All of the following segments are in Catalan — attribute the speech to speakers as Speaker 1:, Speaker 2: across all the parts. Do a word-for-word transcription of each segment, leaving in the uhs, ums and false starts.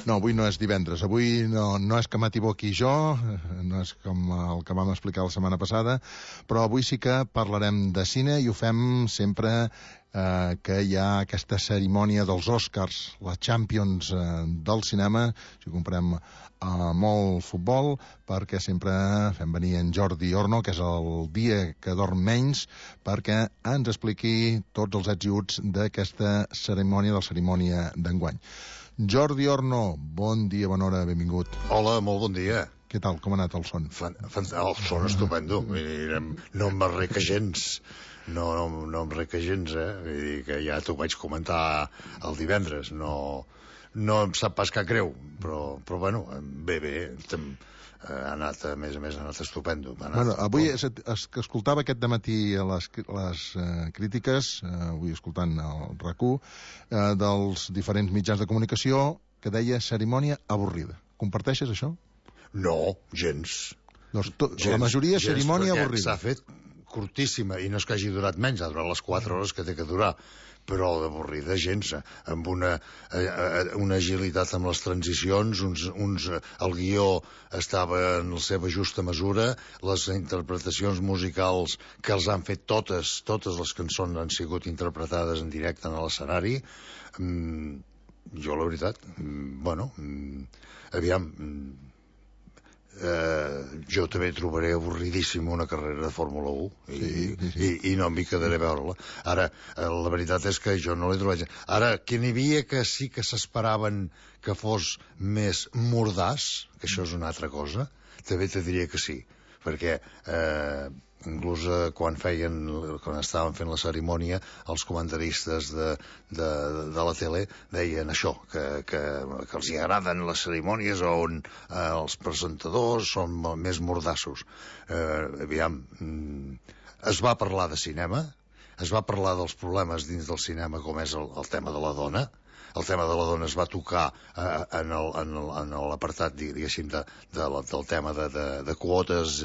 Speaker 1: No, avui no és divendres, avui no, no és que m'equivoqui jo, no és com el que vam explicar la setmana passada, però avui sí que parlarem de cine i ho fem sempre eh, que hi ha aquesta cerimònia dels Oscars, la Champions eh, del cinema, si comprem eh, molt futbol, perquè sempre fem venir en Jordi Orno, que és el dia que dorm menys, perquè ens expliqui tots els ets i uts d'aquesta cerimònia, de la cerimònia d'enguany. Jordi Orno, bon dia, bona hora, benvingut.
Speaker 2: Hola, molt bon dia.
Speaker 1: Què tal, com ha anat el son?
Speaker 2: Fan, fan, el son estupendo. No em reca gens. No, no, no em reca gens, eh? Vull dir que ja t'ho vaig comentar el divendres. No, no em sap pas cap greu, però, però bueno, bé, bé. Tem, ha anat, a més a més, ha anat estupendo. Ha anat
Speaker 1: bueno, avui
Speaker 2: es,
Speaker 1: es, que escoltava aquest dematí les, les uh, crítiques, uh, avui escoltant el RAC1, uh, dels diferents mitjans de comunicació, que deia cerimònia avorrida. Comparteixes això?
Speaker 2: No, gens.
Speaker 1: Doncs to, gens la majoria gens, cerimònia avorrida.
Speaker 2: S'ha fet curtíssima, i no és que hagi durat menys, ha durat les quatre hores que té que durar, però d'avorrida gens, amb una, una agilitat amb les transicions, uns, uns, el guió estava en la seva justa mesura, les interpretacions musicals que els han fet totes, totes les cançons han sigut interpretades en directe en l'escenari. Mm, jo, la veritat, mm, bueno, mm, aviam... Mm, Uh, jo també trobaré avorridíssim una carrera de Fórmula u i, sí, sí, sí. i, i no m'hi quedaré a veure-la. Ara, uh, la veritat és que jo no l'he trobat. Ara, que n'hi havia que sí que s'esperaven que fos més mordàs, que això és una altra cosa, també te diria que sí, perquè uh, inclús uh, quan feien quan estaven fent la cerimònia els comentaristes de, de, de la tele deien això, que, que, que els hi agraden les cerimònies on uh, els presentadors són més mordassos. Uh, aviam, mm, es va parlar de cinema, es va parlar dels problemes dins del cinema com és el, el tema de la dona. El tema de la dona es va tocar eh, en l'apartat, diguéssim, de, de, del tema de, de, de quotes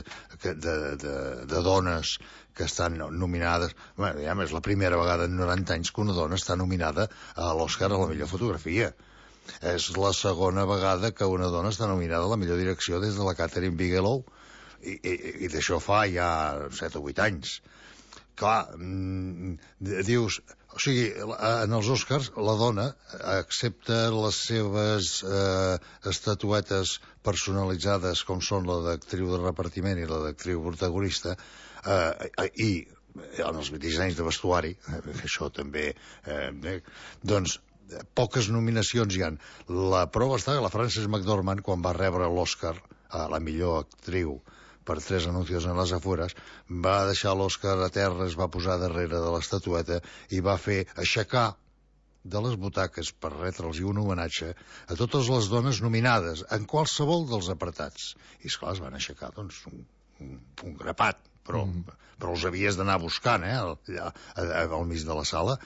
Speaker 2: de, de, de dones que estan nominades. Bé, ja és la primera vegada en noranta anys que una dona està nominada a l'Oscar a la millor fotografia. És la segona vegada que una dona està nominada a la millor direcció des de la Catherine Bigelow, i, i, i d'això fa ja set o vuit anys. Clar, mm, dius... O sigui, en els Oscars, la dona accepta les seves eh, estatuetes personalitzades, com són la d'actriu de repartiment i la d'actriu protagonista, eh, i en els dissenys de vestuari, eh, això també... Eh, doncs, poques nominacions hi ha. La prova està que la Frances McDormand, quan va rebre l'Oscar a la millor actriu per Tres anuncios en les afueres, va deixar l'Oscar a terra, es va posar darrere de l'estatueta i va fer aixecar de les butaques per retre'ls un homenatge a totes les dones nominades en qualsevol dels apartats. I esclar, es van aixecar doncs un, un, un grapat, però, mm. però els havies d'anar buscant, eh, allà, al mig de la sala.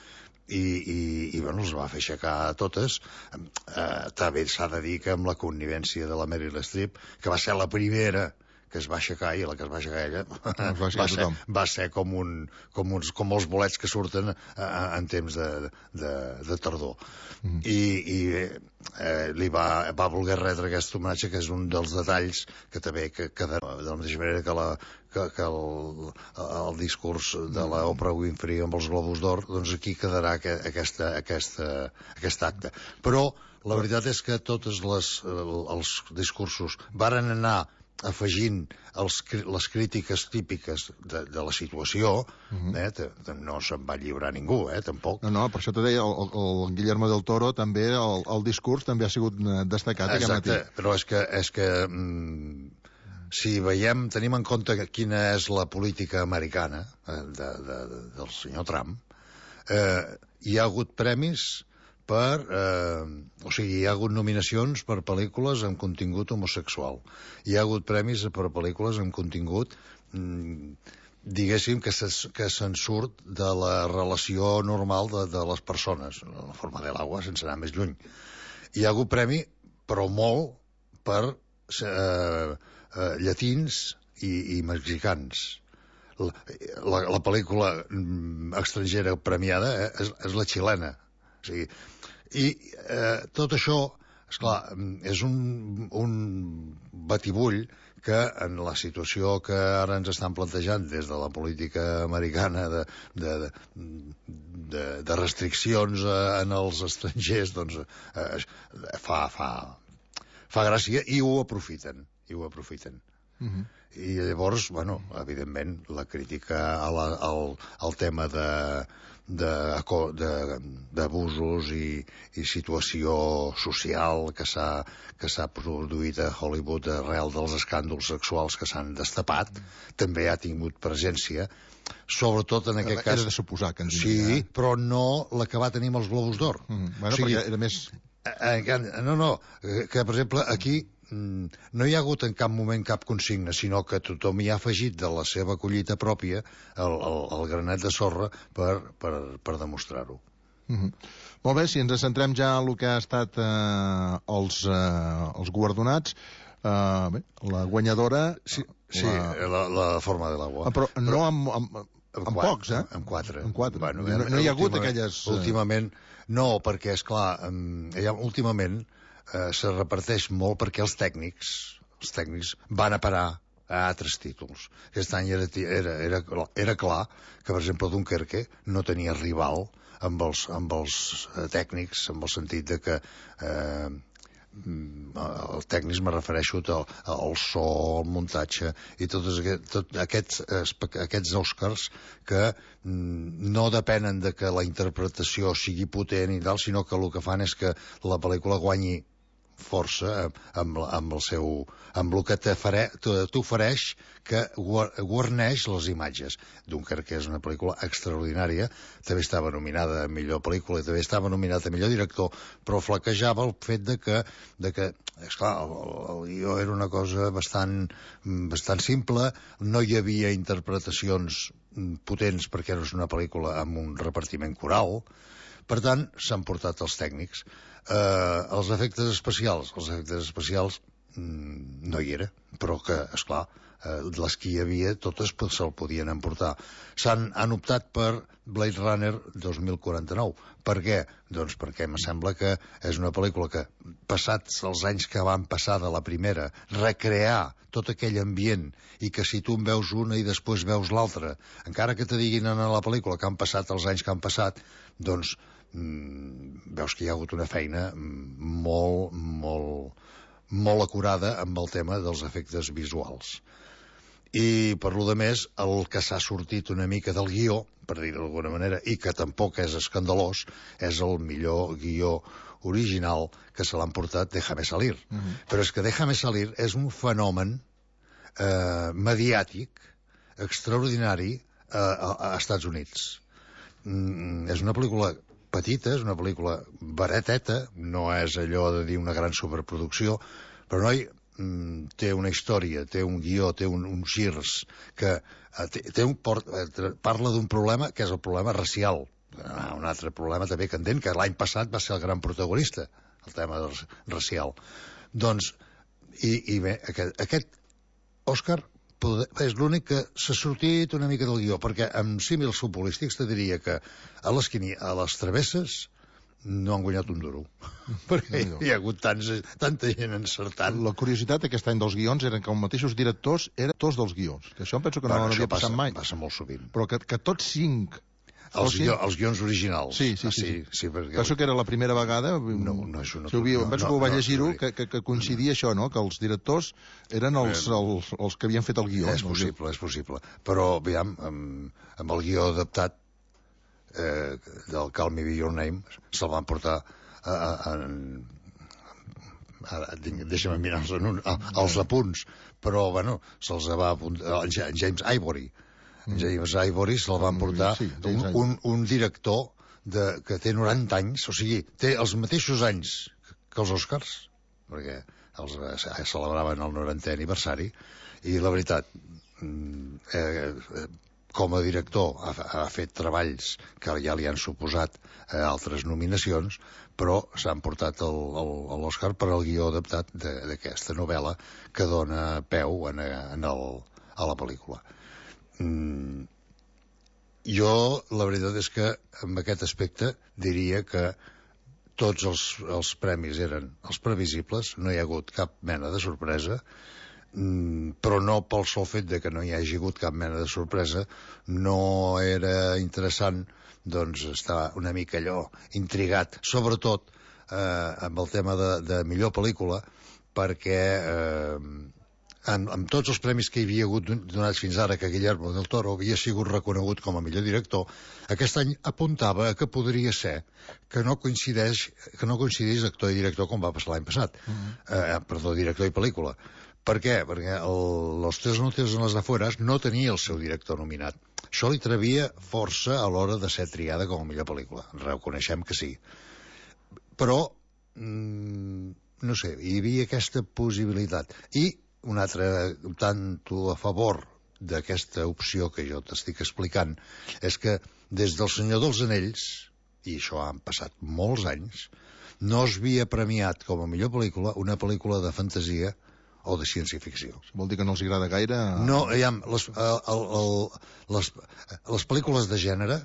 Speaker 2: I, i, i bueno, els va fer aixecar a totes. Eh, també s'ha de dir que amb la connivència de la Meryl Streep, que va ser la primera que es va aixecar, i la que es va aixecar ella va, va, ser, va ser com, un, com, uns, com els bolets que surten eh, en temps de, de, de tardor. Mm. I, i eh, li va, va voler retre aquest homenatge, que és un dels detalls que també que, que de, de la mateixa manera que, la, que, que el, el discurs de la Oprah Winfrey amb els Globus d'Or, doncs aquí quedarà que, aquesta, aquesta, aquest acte. Però la veritat és que tots les, els discursos varen anar afegint els, les crítiques típiques de, de la situació. Uh-huh. eh, t- t- no se'n va lliurar ningú, eh, tampoc.
Speaker 1: No, no, per això t'ho deia, el, el Guillermo del Toro també, el, el discurs també ha sigut destacat.
Speaker 2: Exacte, però és que, és que mm, si veiem, tenim en compte quina és la política americana eh, de, de, de, del senyor Trump, eh, hi ha hagut premis per, eh, o sigui, hi ha hagut nominacions per pel·lícules amb contingut homosexual. Hi ha hagut premis per pel·lícules amb contingut, mm, diguéssim, que, se, que se'n surt de la relació normal de, de les persones, la forma de l'aigua, sense anar més lluny. Hi ha hagut premi, però molt, per eh, eh, llatins i, i mexicans. La, la, la pel·lícula mm, estrangera premiada eh, és, és la xilena. O sigui, i eh, tot això esclar, és un, un batibull que en la situació que ara ens estan plantejant des de la política americana de, de, de, de restriccions en els estrangers, doncs eh, fa, fa, fa gràcia i ho aprofiten, i ho aprofiten. Uh-huh. I llavors, bueno, evidentment, la crítica a la, al, al tema de d'abusos i, i situació social que s'ha que s'ha produït a Hollywood arrel dels escàndols sexuals que s'han destapat, mm. també ha tingut presència, sobretot en aquest
Speaker 1: era
Speaker 2: cas...
Speaker 1: Era de suposar que en
Speaker 2: Sí, eh? Però no la que va tenir amb els Globus d'Or.
Speaker 1: Mm. Bueno, o sigui, perquè era més...
Speaker 2: No, no, que per exemple aquí no hi ha hagut en cap moment cap consigna, sinó que tothom hi ha afegit de la seva collita pròpia el, el, el granet de sorra per, per, per demostrar-ho.
Speaker 1: Mm-hmm. Molt bé, si ens centrem ja en el que ha estat eh, els, eh, els guardonats, eh, bé, la guanyadora...
Speaker 2: Sí, sí la... La, la forma de l'agua.
Speaker 1: Ah, però, però no amb, amb, amb, amb
Speaker 2: quatre,
Speaker 1: pocs, eh?
Speaker 2: Amb quatre.
Speaker 1: Amb quatre.
Speaker 2: Bueno,
Speaker 1: no, no hi ha hagut aquelles...
Speaker 2: Últimament, no, perquè, esclar, ja, últimament eh, se reparteix molt perquè els tècnics, els tècnics van a parar a altres títols. Aquest any era, era, era, era clar que, per exemple, Dunkerque no tenia rival amb els, amb els tècnics, amb el sentit de que eh, el tècnics me refereixo al, al so, al muntatge i tots aquest, tot aquests, aquests Oscars que no depenen de que la interpretació sigui potent i tal, sinó que el que fan és que la pel·lícula guanyi força amb, amb el seu amb el que t'ofereix que guarneix les imatges. Dunkerque és una pel·lícula extraordinària, també estava nominada a millor pel·lícula i també estava nominada a millor director, però flaquejava el fet de que, de que esclar, el, el guió era una cosa bastant, bastant simple, no hi havia interpretacions potents perquè era una pel·lícula amb un repartiment coral. Per tant, s'han portat els tècnics. Eh, els efectes especials, els efectes especials mmm, no hi era, però que, esclar, eh, les que hi havia, totes se'l podien emportar. S'han han optat per Blade Runner dos mil quaranta-nou. Per què? Doncs perquè em sembla que és una pel·lícula que, passats els anys que van passar de la primera, recrear tot aquell ambient i que si tu en veus una i després veus l'altra, encara que te diguin en la pel·lícula que han passat els anys que han passat, doncs mm, veus que hi ha hagut una feina molt, molt, molt acurada amb el tema dels efectes visuals. I per lo de més, el que s'ha sortit una mica del guió, per dir-ho d'alguna manera, i que tampoc és escandalós, és el millor guió original que se l'han portat Déjame salir. Uh-huh. Però és que Déjame salir és un fenomen eh, mediàtic extraordinari eh, a, a Estats Units. Mm, és una pel·lícula petita, és una pel·lícula barateta, no és allò de dir una gran superproducció, però noi mm, té una història, té un guió, té un, uns girs que eh, té, té un port, eh, parla d'un problema que és el problema racial. Ah, un altre problema també candent, que l'any passat va ser el gran protagonista, el tema del racial. Doncs, i, i bé, aquest, aquest Òscar és l'únic que s'ha sortit una mica del guió, perquè amb símils futbolístics te diria que a les, a les travesses no han guanyat un duro, perquè no, no. Hi ha hagut tants, tanta gent encertant.
Speaker 1: La curiositat aquest any dels guions eren que els mateixos directors eren tots dels guions, que això em penso que bueno, no havia passat mai.
Speaker 2: Passa molt sovint.
Speaker 1: Però que, que tots cinc...
Speaker 2: Els, guió, els guions originals.
Speaker 1: Sí, sí, sí. sí. sí, sí perquè... Penso que era la primera vegada...
Speaker 2: No, no és una...
Speaker 1: Si havia, no, penso no, que ho vaig llegir-ho, no, que, que, que coincidia això, no?, que els directors eren els, els, els que havien fet el guió.
Speaker 2: És possible, és possible. Però, aviam, amb, amb el guió adaptat eh, del Call Me By Your Name se'l van portar a, a, a, a, deixa'm mirar els, els apunts, però, bueno, se'ls va apuntar James Ivory. James Ivory se'l van portar sí, un, un, un director de, que té noranta anys, o sigui, té els mateixos anys que els Oscars, perquè els eh, celebraven el norantè aniversari, i la veritat, eh, com a director ha, ha fet treballs que ja li han suposat eh, altres nominacions, però s'han portat l'Oscar per al guió adaptat d'aquesta novel·la que dona peu en, en el, a la pel·lícula. Mm, jo la veritat és que amb aquest aspecte diria que tots els, els premis eren els previsibles, no hi ha hagut cap mena de sorpresa, mm, però no pel sol fet de que no hi hagi hagut cap mena de sorpresa, no era interessant doncs estar una mica allò intrigat, sobretot eh, amb el tema de, de millor pel·lícula, perquè eh, amb, amb tots els premis que hi havia hagut donats fins ara, que Guillermo del Toro havia sigut reconegut com a millor director, aquest any apuntava que podria ser que no coincideix que no coincidís actor i director com va passar l'any passat. Uh-huh. eh, perdó, director i pel·lícula. Per què? Perquè el, Los tres noches en las afueras no tenia el seu director nominat. Això li trevia força a l'hora de ser triada com a millor pel·lícula. Reconeixem que sí. Però mmm, no sé, hi havia aquesta possibilitat. I un altre tanto a favor d'aquesta opció que jo t'estic explicant és que des del Senyor dels Anells, i això han passat molts anys, no es havia premiat com a millor pel·lícula una pel·lícula de fantasia o de ciència-ficció.
Speaker 1: Vol dir que no els agrada gaire?
Speaker 2: No, aviam, les, el, el, el, les, les pel·lícules de gènere,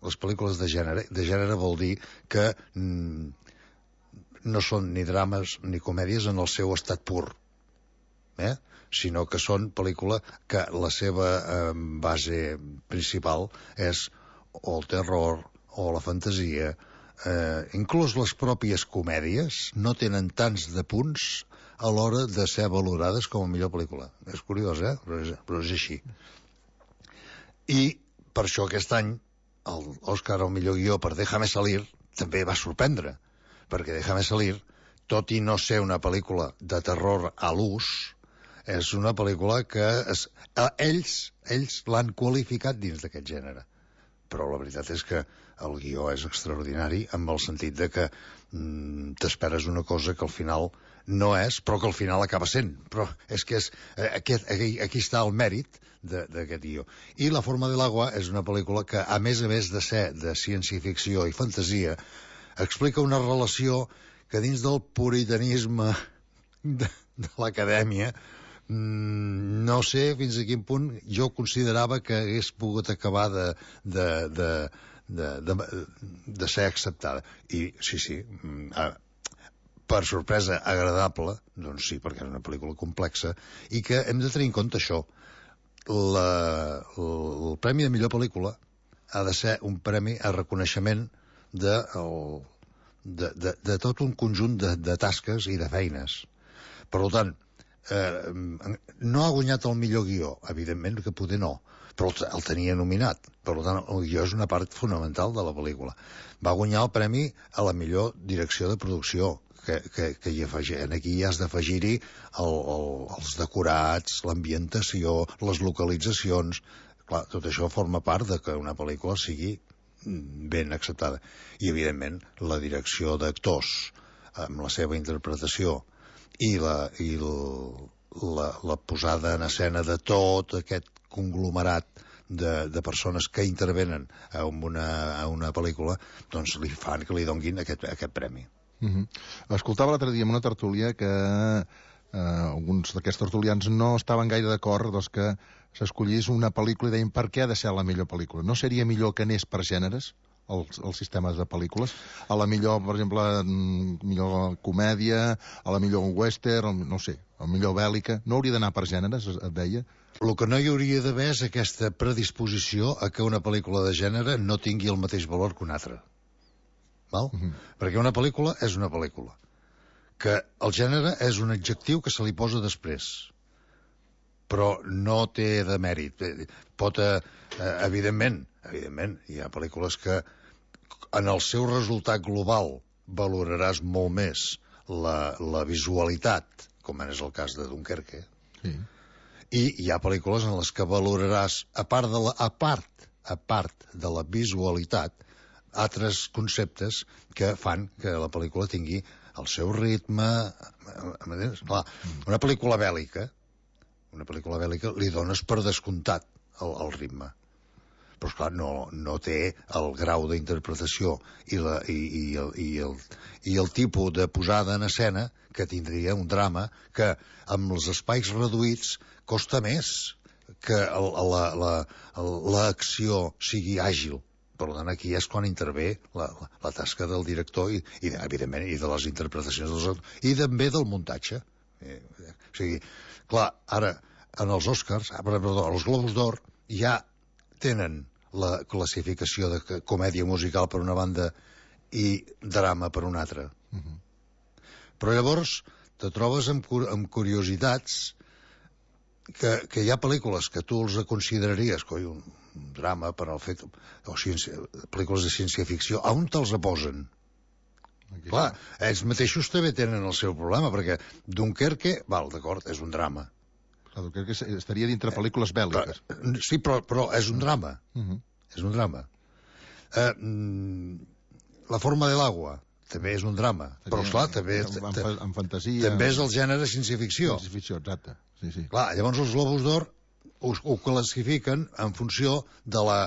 Speaker 2: les pel·lícules de gènere, de gènere vol dir que mm, no són ni drames ni comèdies en el seu estat pur. Eh? Sinó que són pel·lícula que la seva eh, base principal és o el terror o la fantasia. Eh, inclús les pròpies comèdies no tenen tants de punts a l'hora de ser valorades com a millor pel·lícula. És curiós, eh? Però és, però és així. I per això aquest any l'Òscar al millor guió per Déjame salir també va sorprendre, perquè Déjame salir, tot i no ser una pel·lícula de terror a l'ús, és una pel·lícula que es, eh, ells, ells l'han qualificat dins d'aquest gènere. Però la veritat és que el guió és extraordinari en el sentit de que mm, t'esperes una cosa que al final no és, però que al final acaba sent. Però és que és, eh, aquest, aquí, aquí està el mèrit d'aquest guió. I La forma de l'agua és una pel·lícula que, a més a més de ser de ciència-ficció i fantasia, explica una relació que dins del puritanisme de, de l'acadèmia Mm, no sé fins a quin punt jo considerava que hagués pogut acabar de, de, de, de, de, de ser acceptada. I sí, sí, per sorpresa agradable, doncs sí, perquè és una pel·lícula complexa, i que hem de tenir en compte això. La, el premi de millor pel·lícula ha de ser un premi a reconeixement de, el, de, de, de tot un conjunt de, de tasques i de feines. Per tant, Eh, no ha guanyat el millor guió, evidentment que poder no, però el, el tenia nominat. Per tant, el guió és una part fonamental de la pel·lícula. Va guanyar el premi a la millor direcció de producció, que, que, que hi afegi, aquí hi has d'afegir-hi el, el, els decorats, l'ambientació, les localitzacions. Clar, tot això forma part de que una pel·lícula sigui ben acceptada. I, evidentment, la direcció d'actors, amb la seva interpretació, i la, i la, la posada en escena de tot aquest conglomerat de, de persones que intervenen a una, a una pel·lícula, doncs li fan que li donguin aquest, aquest premi.
Speaker 1: Uh-huh. Escoltava l'altre dia en una tertúlia que eh, alguns d'aquests tertulians no estaven gaire d'acord doncs, que s'escollís una pel·lícula i deien per què ha de ser la millor pel·lícula? No seria millor que anés per gèneres? Els, els sistemes de pel·lícules, a la millor, per exemple, millor comèdia, a la millor western, no sé, a la millor bèl·lica, no hauria d'anar per gèneres, et deia?
Speaker 2: El que no hi hauria d'haver és aquesta predisposició a que una pel·lícula de gènere no tingui el mateix valor que una altra. Val? Uh-huh. Perquè una pel·lícula és una pel·lícula. Que el gènere és un adjectiu que se li posa després, però no té de mèrit. Pot, eh, evidentment, evidentment, hi ha pel·lícules que en el seu resultat global valoraràs molt més la, la visualitat, com és el cas de Dunkerque. Sí. I hi ha pel·lícules en les que valoraràs, a part de la, a part, a part de la visualitat, altres conceptes que fan que la pel·lícula tingui el seu ritme. Clar, una pel·lícula bèl·lica, una pel·lícula bèl·lica li dones per descomptat el, el ritme. Però, esclar, no, no té el grau d'interpretació i, la, i, i, el, i, el, i el tipus de posada en escena que tindria un drama que, amb els espais reduïts, costa més que l'acció sigui àgil. per tant, aquí és quan intervé la, la, la tasca del director i, i, evidentment, i de les interpretacions dels actors, i també del muntatge. Eh, o sigui, clar, ara, en els Oscars, perdó, els Globus d'Or, ja tenen la classificació de comèdia musical per una banda i drama per una altra.
Speaker 1: Uh-huh. Però
Speaker 2: llavors te trobes amb, amb curiositats que, que hi ha pel·lícules que tu els consideraries coi, un, un drama per al fet o ciència, pel·lícules de ciència-ficció, on te'ls posen? Aquí clar, no. Ells mateixos també tenen el seu problema, perquè Dunkerque, val, d'acord, és un drama.
Speaker 1: Clar, Dunkerque estaria dintre pel·lícules bèl·liques.
Speaker 2: Eh, sí, però, però és un drama.
Speaker 1: Uh-huh.
Speaker 2: És un drama. Eh, La forma de l'agua també és un drama, seria, però esclar, també
Speaker 1: en, en, en fantasia,
Speaker 2: també és el gènere ciència-ficció.
Speaker 1: Ciència-ficció, exacte. Sí, sí.
Speaker 2: Clar, llavors els Globus d'Or ho, ho classifiquen en funció de la,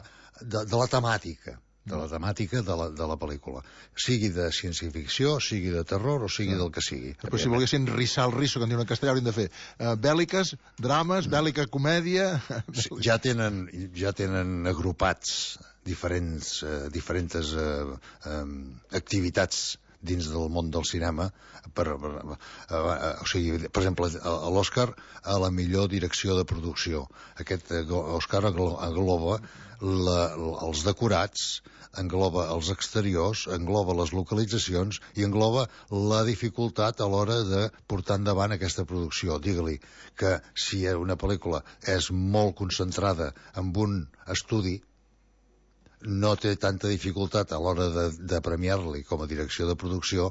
Speaker 2: de, de la temàtica, de la temàtica de la, de la pel·lícula. Sigui de ciència-ficció, sigui de terror o sigui del que sigui.
Speaker 1: Però si volguessin rissar el risso, que en diuen en castellà, haurien de fer uh, bèl·liques, drames, bèl·lica comèdia...
Speaker 2: Sí, ja tenen, ja tenen agrupats diferents, eh, diferents eh, eh, activitats dins del món del cinema per, per, eh, o sigui, per exemple, a l'Oscar a la millor direcció de producció. Aquest Oscar engloba la, els decorats, engloba els exteriors, engloba les localitzacions i engloba la dificultat a l'hora de portar endavant aquesta producció. Digue-li que si una pel·lícula és molt concentrada en un estudi, no té tanta dificultat a l'hora de, de premiar-li com a direcció de producció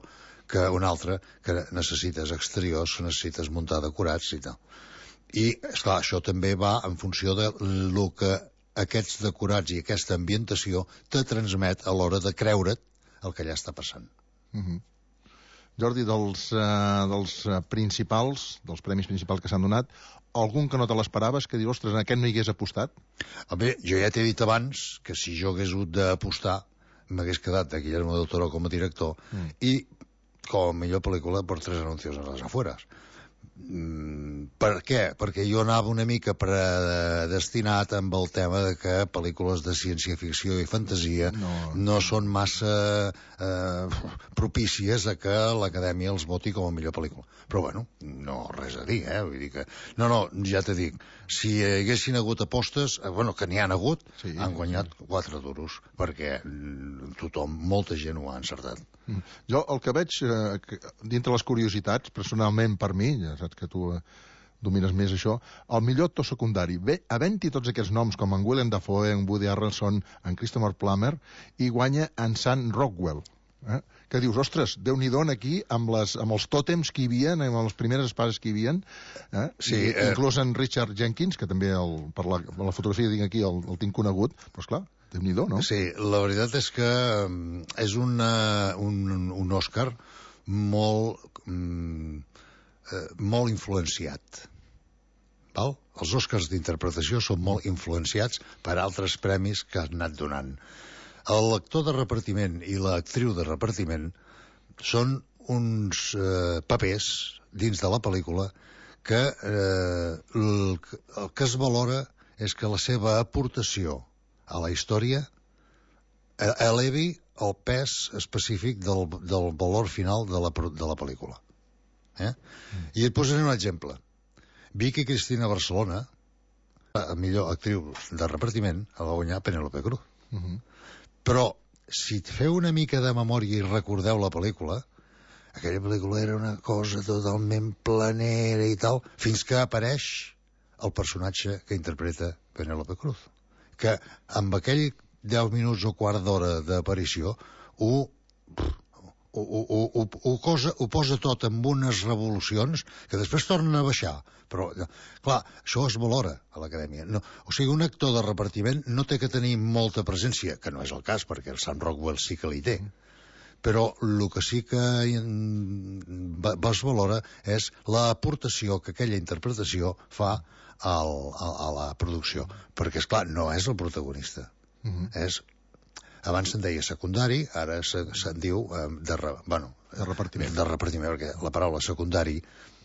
Speaker 2: que una altra que necessites exteriors, que necessites muntar decorats i tal. I, esclar, això també va en funció de lo que aquests decorats i aquesta ambientació te transmet a l'hora de creure't el que allà està passant.
Speaker 1: Uh-huh. Jordi, dels, uh, dels principals, dels premis principals que s'han donat, algun que no te l'esperaves, que dius, ostres, en aquest no hi hagués apostat?
Speaker 2: Bé, jo ja t'he dit abans que si jo hagués hagut d'apostar m'hagués quedat de Guillermo del Toro com a director mm. i com a millor pel·lícula per Tres anuncios a les afueras. Mm, per què? Perquè jo anava una mica predestinat amb el tema de que pel·lícules de ciència-ficció i fantasia no, no són massa eh, propícies a que l'Acadèmia els voti com a millor pel·lícula. Però bueno, no res a dir, eh? Vull dir que... No, no, ja t'he dit, si hi haguessin hagut apostes, eh, bueno, que n'hi han hagut, sí, han guanyat sí. quatre duros, perquè tothom, molta gent ho ha encertat.
Speaker 1: Mm. Jo el que veig, eh, que, dintre les curiositats, personalment per mi, ja saps que tu eh, domines més això, el millor actor secundari, bé, havent-hi tots aquests noms, com en Willem Dafoe, en Woody Harrelson, en Christopher Plummer, i guanya en Sam Rockwell, eh? Que dius, ostres, Déu-n'hi-do aquí, amb, les, amb els tòtems que hi havia, amb les primeres espases que hi havia, eh?
Speaker 2: Sí,
Speaker 1: I,
Speaker 2: eh...
Speaker 1: inclús en Richard Jenkins, que també el, per, la, per la fotografia que tinc aquí el, el tinc conegut, però esclar, Déu-n'hi-do, no?
Speaker 2: Sí, la veritat és que és una, un, un Òscar molt, mm, eh, molt influenciat. Val? Els Òscars d'interpretació són molt influenciats per altres premis que han anat donant. L'actor de repartiment i l'actriu de repartiment són uns eh, papers dins de la pel·lícula que eh, el, el que es valora és que la seva aportació a la història elevi el pes específic del, del valor final de la, de la pel·lícula. Eh? Mm. I et posaré un exemple. Vicky Cristina Barcelona, la millor actriu de repartiment, la va guanyar Penélope Cruz.
Speaker 1: Uh-huh.
Speaker 2: Però, si et feu una mica de memòria i recordeu la pel·lícula, aquella pel·lícula era una cosa totalment planera i tal, fins que apareix el personatge que interpreta Penélope Cruz, que amb aquell deu minuts o quart d'hora d'aparició ho, ho, ho, ho, ho, cosa, ho posa tot amb unes revolucions que després tornen a baixar. Però, clar, això es valora a l'Acadèmia. No, o sigui, un actor de repartiment no té que tenir molta presència, que no és el cas, perquè el Sam Rockwell sí que l'hi té. Però el que sí que es valora és l'aportació que aquella interpretació fa al, a, a la producció. Perquè, és clar, no és el protagonista. Uh-huh. És... Abans se'n deia secundari, ara se'n se diu eh, de, re, bueno,
Speaker 1: de repartiment.
Speaker 2: De repartiment, perquè la paraula secundari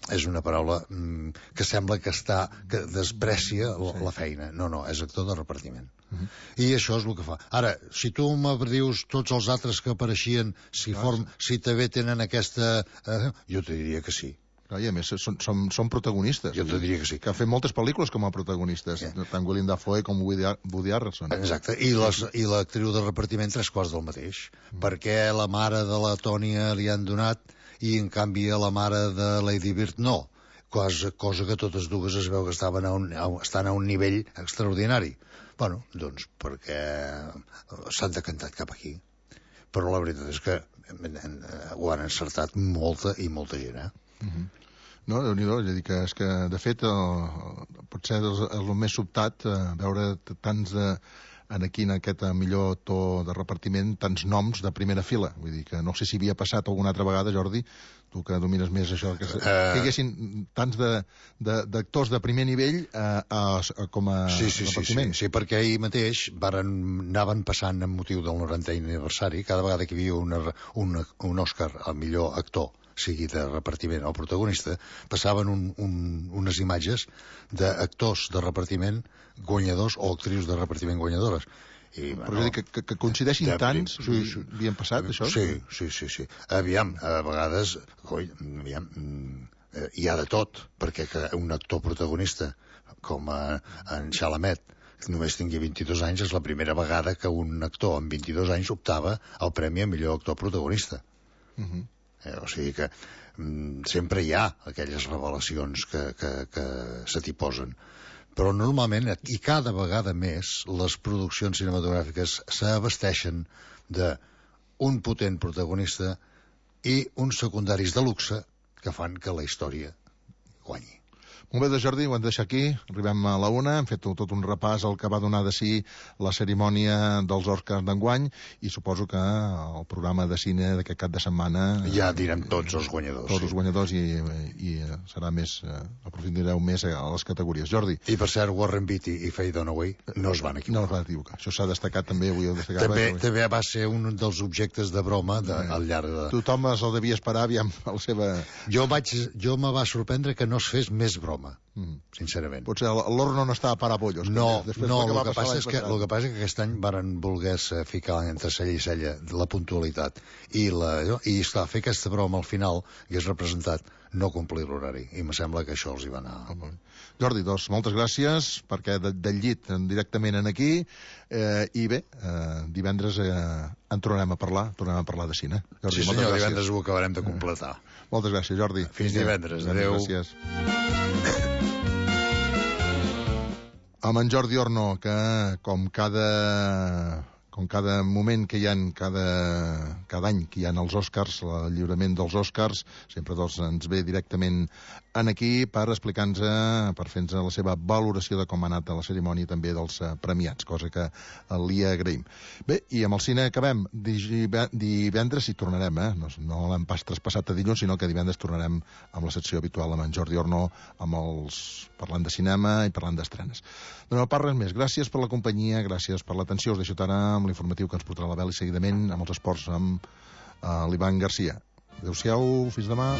Speaker 2: és una paraula mm, que sembla que està que desprecia la, sí. la feina. No, no, és actor de repartiment. Uh -huh. I això és el que fa. Ara, si tu me dius tots els altres que apareixien, si, ah, form, sí. si també tenen aquesta... Eh, jo te diria que sí.
Speaker 1: I a més, són, són, són protagonistes.
Speaker 2: Jo te diria que sí.
Speaker 1: Que han fet moltes pel·lícules com a protagonistes, yeah. tant Willem Dafoe com Woody, Woody Harrelson.
Speaker 2: Exacte, i, les, i l'actriu de repartiment tres quarts del mateix. Mm. Perquè la mare de la Tònia li han donat i, en canvi, a la mare de Lady Bird no. Cosa, cosa que totes dues es veu que estaven a un, a, estan a un nivell extraordinari. Bueno, doncs perquè s'han decantat cap aquí. Però la veritat és que ho han encertat molta i molta gent, eh?
Speaker 1: Mm-hmm. No, Déu-n'hi-do, és a dir, que és que, de fet, el, potser és el més sobtat eh, veure tants de, en aquí, en aquest millor to de repartiment, tants noms de primera fila. Vull dir que no sé si havia passat alguna altra vegada, Jordi, tu que domines més això, que, uh... que hi haguessin tants d'actors de, de, de primer nivell a, a, a, com a
Speaker 2: sí, sí,
Speaker 1: repartiment.
Speaker 2: Sí, sí, sí, perquè ahir mateix varen, anaven passant amb motiu del norantè aniversari, cada vegada que hi havia una, una, un Òscar al millor actor, sigui de repartiment o protagonista, passaven un, un, unes imatges d'actors de repartiment guanyadors o actrius de repartiment guanyadores. I,
Speaker 1: però bueno, que, que, que coincideixin de, tants, sí, sí, havien passat, això?
Speaker 2: Sí, sí, sí, sí. Aviam, a vegades, coi, aviam, hi ha de tot, perquè que un actor protagonista, com a, en Chalamet, que només tingui vint-i-dos anys, és la primera vegada que un actor amb vint-i-dos anys optava al premi a millor actor protagonista. Uh -huh. Eh, o sigui que mm, sempre hi ha aquelles revelacions que, que, que se t'hi posen. Però normalment, i cada vegada més, les produccions cinematogràfiques s'abasteixen d'un potent protagonista i uns secundaris de luxe que fan que la història guanyi.
Speaker 1: Molt bé, de Jordi, ho hem de deixar aquí. Arribem a la una, hem fet tot un repàs al que va donar de si la cerimònia dels Oscars d'enguany i suposo que el programa de cine d'aquest cap de setmana...
Speaker 2: Ja direm tots els guanyadors.
Speaker 1: Tots sí. els guanyadors i, i serà més... aprofundireu més a les categories. Jordi.
Speaker 2: I per cert, Warren Beatty i Faye Dunaway no es van equivocar.
Speaker 1: No es van equivocar. Això s'ha destacat també, avui ho destacava.
Speaker 2: També, també va ser un dels objectes de broma de, al llarg de...
Speaker 1: Tothom es el devia esperar, aviam, a la seva...
Speaker 2: Jo, vaig, jo me va sorprendre que no es fes més broma. Mm. Sincerament.
Speaker 1: Potser l'horno no estava para pollos.
Speaker 2: No, no, el que, passa és que, el que passa és que aquest any varen voler ficar entre cella i cella la puntualitat i, la, i esclar, fer aquesta broma al final hagués representat no complir l'horari i me sembla que això els hi va anar.
Speaker 1: Oh, Jordi, doncs, moltes gràcies perquè de, del llit directament en aquí eh, i bé, eh, divendres eh, en tornarem a parlar tornarem a parlar de cine.
Speaker 2: Jordi, sí senyor, divendres ho acabarem de completar.
Speaker 1: Eh, moltes gràcies, Jordi.
Speaker 2: Fins divendres, adeu.
Speaker 1: Gràcies. Amb en Jordi Orno, que com cada, com cada moment que hi ha, cada, cada any que hi ha els Oscars, el lliurament dels Oscars, sempre doncs, ens ve directament en aquí per explicar-nos, per fer-nos la seva valoració de com ha anat la cerimònia també dels premiats, cosa que li agraïm. Bé, i amb el cine acabem. Divendres hi tornarem, eh? No, no l'hem pas traspassat a dilluns, sinó que divendres tornarem amb la secció habitual amb en Jordi Orno, amb els... parlant de cinema i parlant d'estrenes. No, no pas res més. Gràcies per la companyia, gràcies per l'atenció. Us deixo ara amb l'informatiu que ens portarà la Bel i seguidament amb els esports amb uh, l'Ivan Garcia. Adéu-siau, fins demà.